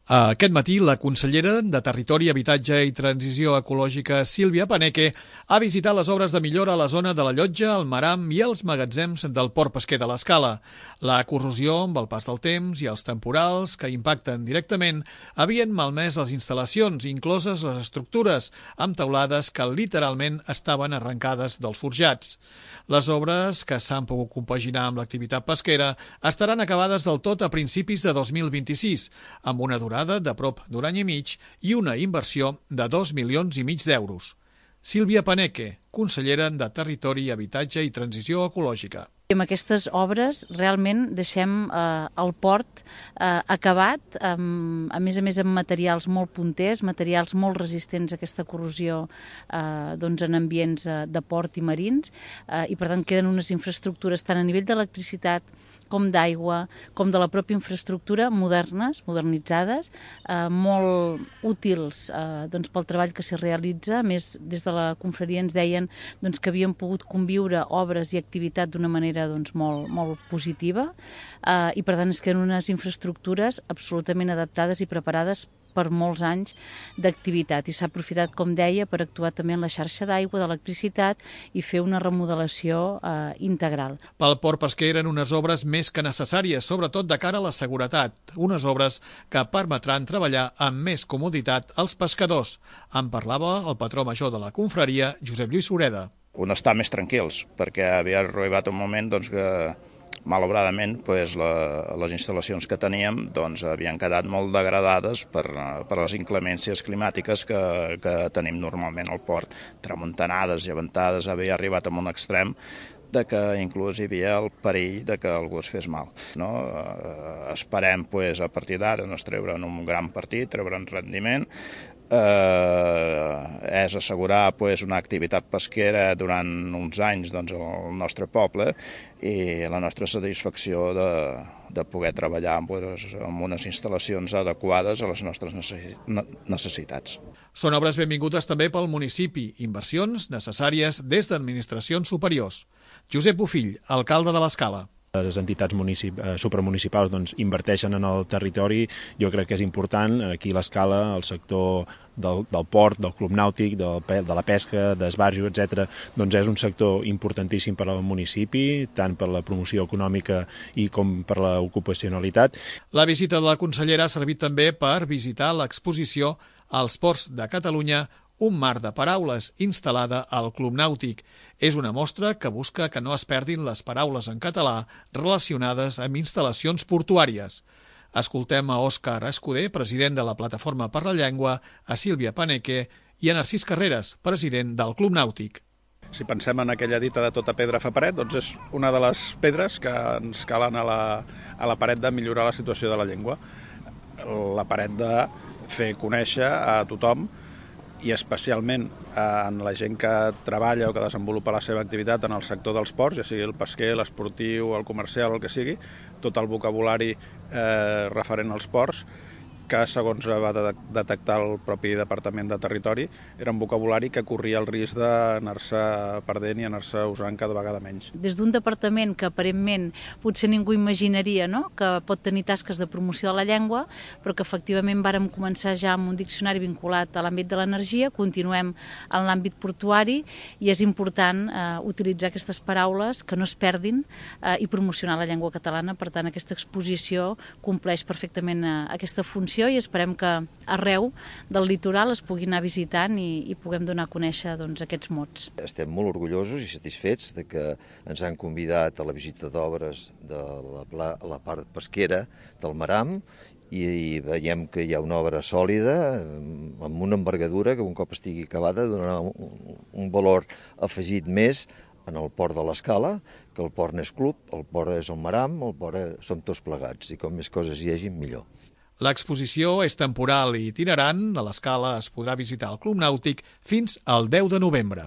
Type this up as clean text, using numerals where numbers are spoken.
Aquest matí, la consellera de Territori, Habitatge i Transició Ecològica, Sílvia Paneque, ha visitat les obres de millora a la zona de la Llotja, el Maram i els magatzems del port pesquer de l'Escala. La corrosió amb el pas del temps i els temporals que impacten directament havien malmès les instal·lacions, incloses les estructures, amb teulades que literalment estaven arrencades dels forjats. Les obres, que s'han pogut compaginar amb l'activitat pesquera, estaran acabades del tot a principis de 2026, amb una durada de prop d'un any i mig i una inversió de 2,5 milions d'euros. Sílvia Paneque, consellera de Territori, Habitatge i Transició Ecològica. Amb aquestes obres realment deixem el port acabat, a més amb materials molt punters, materials molt resistents a aquesta corrosió en ambients de port i marins, i per tant queden unes infraestructures tant a nivell d'electricitat com d'aigua, com de la pròpia infraestructura, modernitzades, molt útils pel treball que s'hi realitza. A més, des de la confraria ens deien que havien pogut conviure obres i activitat d'una manera molt positiva, i per tant es queden unes infraestructures absolutament adaptades i preparades per molts anys d'activitat, i s'ha aprofitat, com deia, per actuar també en la xarxa d'aigua, d'electricitat i fer una remodelació integral. Pel port pesquer eren unes obres més que necessàries, sobretot de cara a la seguretat, unes obres que permetran treballar amb més comoditat als pescadors. En parlava el patró major de la confraria, Josep Lluís Sureda. Un estar més tranquils, perquè havia arribat un moment que malauradament les instal·lacions que teníem havien quedat molt degradades per les inclemències climàtiques que tenim normalment al port. Tramuntanades, llevantades, havia arribat a un extrem de que inclús hi havia el perill de que algú es fes mal. Esperem a partir d'ara treure'n un gran partit, treure'n rendiment, és assegurar una activitat pesquera durant uns anys al nostre poble i la nostra satisfacció de poder treballar amb unes instal·lacions adequades a les nostres necessitats. Són obres benvingudes també pel municipi, inversions necessàries des d'administracions superiors. Josep Bofill, alcalde de l'Escala. Les entitats supramunicipals inverteixen en el territori. Jo crec que és important, aquí a l'Escala, el sector del port, del club nàutic, de la pesca, d'esbarjo, etc. És un sector importantíssim per al municipi, tant per la promoció econòmica i com per l'ocupacionalitat. La visita de la consellera ha servit també per visitar l'exposició als ports de Catalunya, un mar de paraules, instal·lada al Club Nàutic. És una mostra que busca que no es perdin les paraules en català relacionades amb instal·lacions portuàries. Escoltem a Òscar Escudé, president de la Plataforma per la Llengua, a Sílvia Paneque i a Narcís Carreras, president del Club Nàutic. Si pensem en aquella dita de tota pedra fa paret, és una de les pedres que ens calen a la paret de millorar la situació de la llengua. La paret de fer conèixer a tothom, i especialment en la gent que treballa o que desenvolupa la seva activitat en el sector dels ports, ja sigui el pesquer, l'esportiu, el comercial, el que sigui, tot el vocabulari referent als ports, que segons va detectar el propi Departament de Territori, era un vocabulari que corria el risc d'anar-se perdent i anar-se usant cada vegada menys. Des d'un departament que aparentment potser ningú imaginaria que pot tenir tasques de promoció de la llengua, però que efectivament vàrem començar ja amb un diccionari vinculat a l'àmbit de l'energia, continuem en l'àmbit portuari, i és important utilitzar aquestes paraules que no es perdin i promocionar la llengua catalana. Per tant, aquesta exposició compleix perfectament aquesta funció, i esperem que arreu del litoral es puguin anar visitant i puguem donar a conèixer aquests mots. Estem molt orgullosos i satisfets de que ens han convidat a la visita d'obres de la part pesquera del Maram, i veiem que hi ha una obra sòlida, amb una envergadura que un cop estigui acabada donarà un valor afegit més en el port de l'Escala, que el port n'és club, el port és el Maram, el port som tots plegats, i com més coses hi hagi, millor. L'exposició és temporal i itinerant. A l'Escala es podrà visitar el Club Nàutic fins al 10 de novembre.